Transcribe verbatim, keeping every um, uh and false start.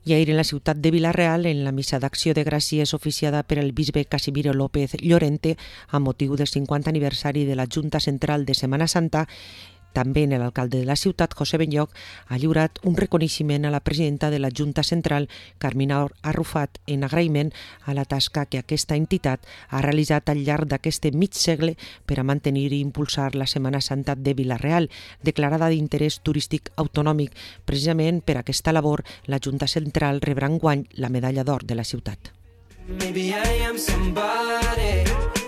I ahir en la ciutat de Vila-real, en la missa d'acció de gràcies oficiada per el bisbe Casimiro López Llorente amb motiu del cinquanta aniversari de la Junta Central de Setmana Santa, també en l'alcalde de la ciutat, José Benlloch, ha lliurat un reconeixement a la presidenta de la Junta Central, Carmina Arrufat, en agraïment a la tasca que aquesta entitat ha realitzat al llarg d'aquest mig segle per a mantenir i impulsar la Setmana Santa de Vila-real, declarada d'interès turístic autonòmic. Precisament per aquesta labor, la Junta Central rebrà enguany la medalla d'or de la ciutat. Maybe I am somebody.